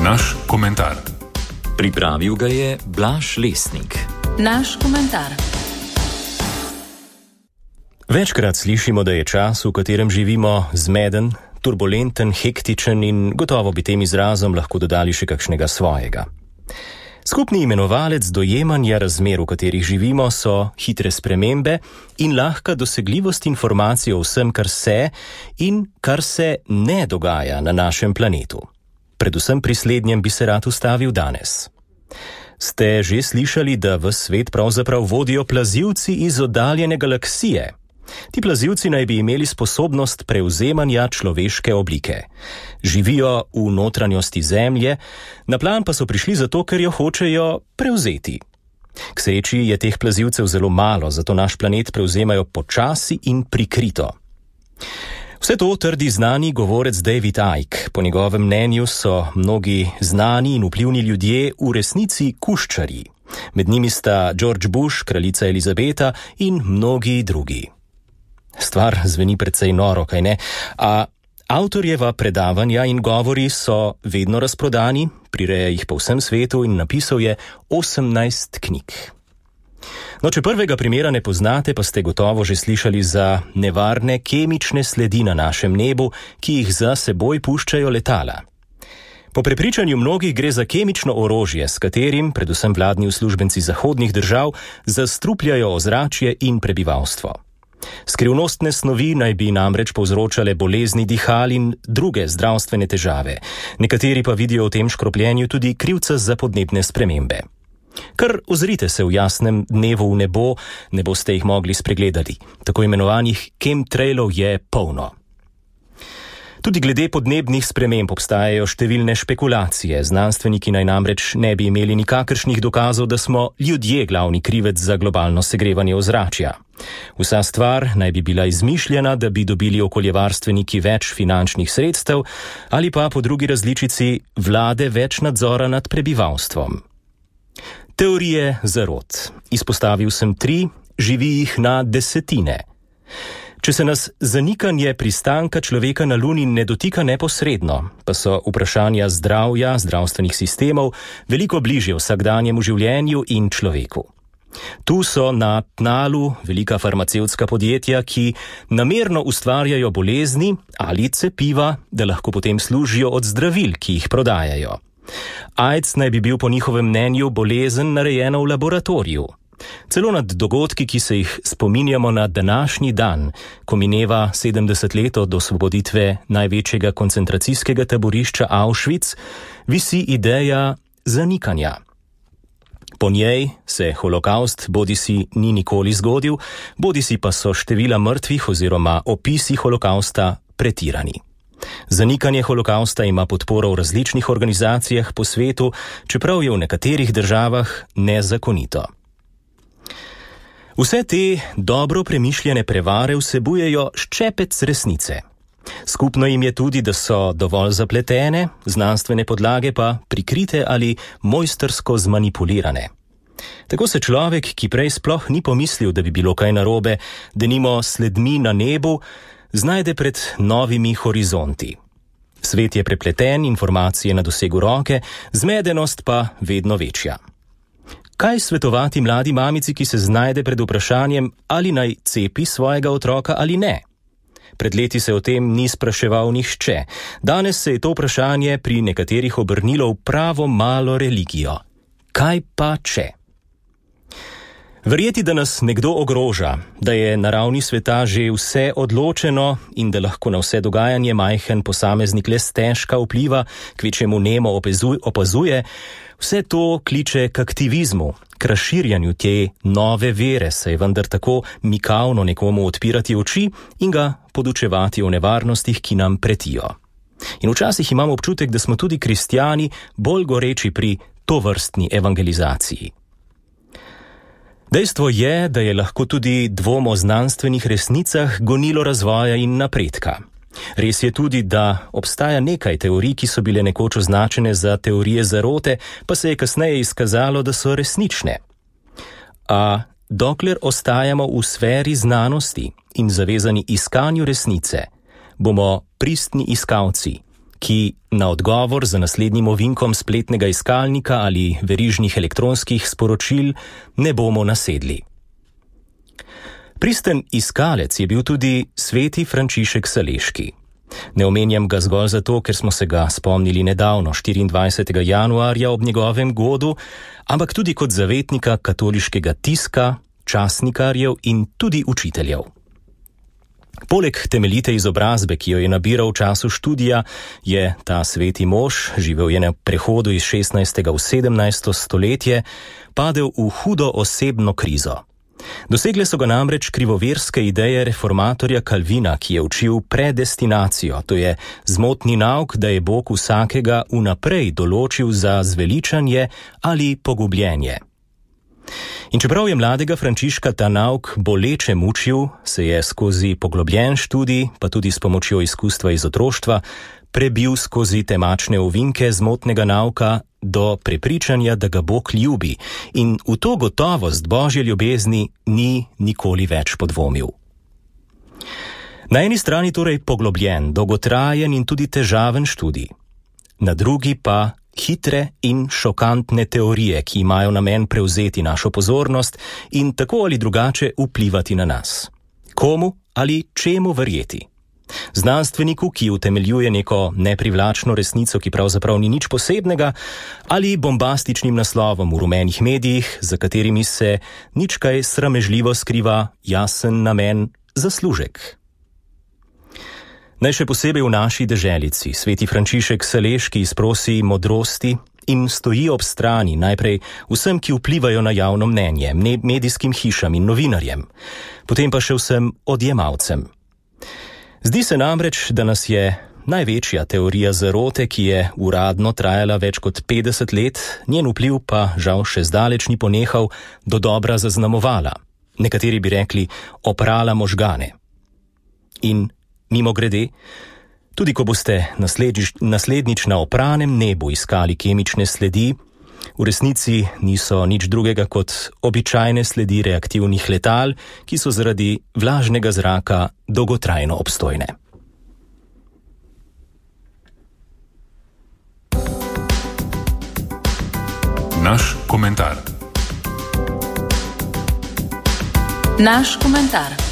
Naš komentar. Pripravil ga je Blaž Lesnik. Naš komentar. Večkrat slišimo, da je čas, v katerem živimo, zmeden, turbulenten, hektičen in gotovo bi tem izrazom lahko dodali še kakšnega svojega. Skupni imenovalec dojemanja razmer, v katerih živimo, so hitre spremembe in lahka dosegljivost informacij o vsem, kar se in kar se ne dogaja na našem planetu. Predvsem pri slednjem bi se rad ustavil danes. Ste že slišali, da v svet pravzaprav vodijo plazilci iz oddaljene galaksije? Ti plazilci naj bi imeli sposobnost prevzemanja človeške oblike. Živijo v notranjosti Zemlje, na plan pa so prišli zato, ker jo hočejo prevzeti. K sreči je teh plazilcev zelo malo, zato naš planet prevzemajo počasi in prikrito. Vse to trdi znani govorec David Icke. Po njegovem mnenju so mnogi znani in vplivni ljudje v resnici kuščarji. Med njimi sta George Bush, kraljica Elizabeta in mnogi drugi. Stvar zveni precej noro, kaj ne? A avtorjeva predavanja in govori so vedno razprodani, prireja jih po vsem svetu in napisal je 18 knjig. No, če prvega primera ne poznate, pa ste gotovo že slišali za nevarne kemične sledi na našem nebu, ki jih za seboj puščajo letala. Po prepričanju mnogih gre za kemično orožje, s katerim, predvsem vladni uslužbenci zahodnih držav, zastrupljajo ozračje in prebivalstvo. Skrivnostne snovi naj bi namreč povzročale bolezni dihal in druge zdravstvene težave. Nekateri pa vidijo v tem škropljenju tudi krivca za podnebne spremembe. Kar ozrite se v jasnem dnevu v nebo, ne boste jih mogli spregledati. Tako imenovanih chemtrailov je polno. Tudi glede podnebnih sprememb obstajajo številne špekulacije. Znanstveniki naj namreč ne bi imeli nikakršnih dokazov, da smo ljudje glavni krivec za globalno segrevanje ozračja. Vsa stvar naj bi bila izmišljena, da bi dobili okoljevarstveniki več finančnih sredstev ali pa po drugi različici vlade več nadzora nad prebivalstvom. Teorije zarot. Izpostavil sem 3, živi jih na desetine. Če se nas zanikanje pristanka človeka na Luni ne dotika neposredno, pa so vprašanja zdravja, zdravstvenih sistemov veliko bližje vsakdanjemu življenju in človeku. Tu so na tnalu velika farmacevtska podjetja, ki namerno ustvarjajo bolezni ali cepiva, da lahko potem služijo od zdravil, ki jih prodajajo. AIDS naj bi bil po njihovem mnenju bolezen narejena v laboratoriju. Celo nad dogodki, ki se jih spominjamo na današnji dan, ko mineva 70 let od osvoboditve največjega koncentracijskega taborišča Auschwitz, visi ideja zanikanja. Po njej se holokavst bodisi ni nikoli zgodil, bodisi pa so števila mrtvih oziroma opisi holokavsta pretirani. Zanikanje holokavsta ima podporo v različnih organizacijah po svetu, čeprav je v nekaterih državah nezakonito. Vse te dobro premišljene prevare vsebujejo ščepec resnice. Skupno jim je tudi, da so dovolj zapletene, znanstvene podlage pa prikrite ali mojstrsko zmanipulirane. Tako se človek, ki prej sploh ni pomislil, da bi bilo kaj narobe, denimo sledmi na nebu, znajde pred novimi horizonti. Svet je prepleten, informacije na dosegu roke, zmedenost pa vedno večja. Kaj svetovati mladi mamici, ki se znajde pred vprašanjem, ali naj cepi svojega otroka ali ne? Pred leti se o tem ni spraševal nihče. Danes se je to vprašanje pri nekaterih obrnilo v pravo malo religijo. Kaj pa če? Verjeti, da nas nekdo ogroža, da je na ravni sveta že vse odločeno in da lahko na vse dogajanje majhen posameznik le stežka vpliva, kvečjemu nemo opazuje, vse to kliče k aktivizmu, k razširjanju te nove vere, saj vendar tako mikavno nekomu odpirati oči in ga podučevati o nevarnostih, ki nam pretijo. In včasih imamo občutek, da smo tudi kristjani bolj goreči pri tovrstni evangelizaciji. Dejstvo je, da je lahko tudi dvom o znanstvenih resnicah gonilo razvoja in napredka. Res je tudi, da obstaja nekaj teorij, ki so bile nekoč označene za teorije zarote, pa se je kasneje izkazalo, da so resnične. A dokler ostajamo v sferi znanosti in zavezani iskanju resnice, bomo pristni iskalci ki na odgovor za naslednjim ovinkom spletnega iskalnika ali verižnih elektronskih sporočil ne bomo nasedli. Pristen iskalec je bil tudi sveti Frančišek Saleški. Ne omenjam ga zgolj zato, ker smo se ga spomnili nedavno, 24. januarja ob njegovem godu, ampak tudi kot zavetnika katoliškega tiska, časnikarjev in tudi učiteljev. Poleg temeljite izobrazbe, ki jo je nabiral v času študija, je ta sveti mož, živel je na prehodu iz 16. v 17. stoletje, padel v hudo osebno krizo. Dosegle so ga namreč krivoverske ideje reformatorja Calvina, ki je učil predestinacijo, to je zmotni nauk, da je Bog vsakega vnaprej določil za zveličanje ali pogubljenje. In čeprav je mladega Frančiška ta nauk boleče mučil, se je skozi poglobljen študij, pa tudi s pomočjo izkustva iz otroštva, prebil skozi temačne ovinke zmotnega nauka do prepričanja, da ga Bog ljubi, in v to gotovost Božje ljubezni ni nikoli več podvomil. Na eni strani torej poglobljen, dolgotrajen in tudi težaven študij, na drugi pa hitre in šokantne teorije, ki imajo namen prevzeti našo pozornost in tako ali drugače vplivati na nas. Komu ali čemu verjeti? Znanstveniku, ki utemeljuje neko neprivlačno resnico, ki pravzaprav ni nič posebnega, ali bombastičnim naslovom v rumenih medijih, za katerimi se nič kaj sramežljivo skriva jasen namen zaslužek. Naj še posebej v naši deželici sveti Frančišek Saleški izprosi modrosti in stoji ob strani najprej vsem, ki vplivajo na javno mnenje, medijskim hišam in novinarjem, potem pa še vsem odjemalcem. Zdi se namreč, da nas je največja teorija zarote, ki je uradno trajala več kot 50 let, njen vpliv pa žal še zdaleč ni ponehal, dodobra zaznamovala. Nekateri bi rekli, oprala možgane. In mimogrede, tudi ko boste naslednjič na opranem nebu iskali kemične sledi, v resnici niso nič drugega kot običajne sledi reaktivnih letal, ki so zaradi vlažnega zraka dolgotrajno obstojne. Naš komentar. Naš komentar.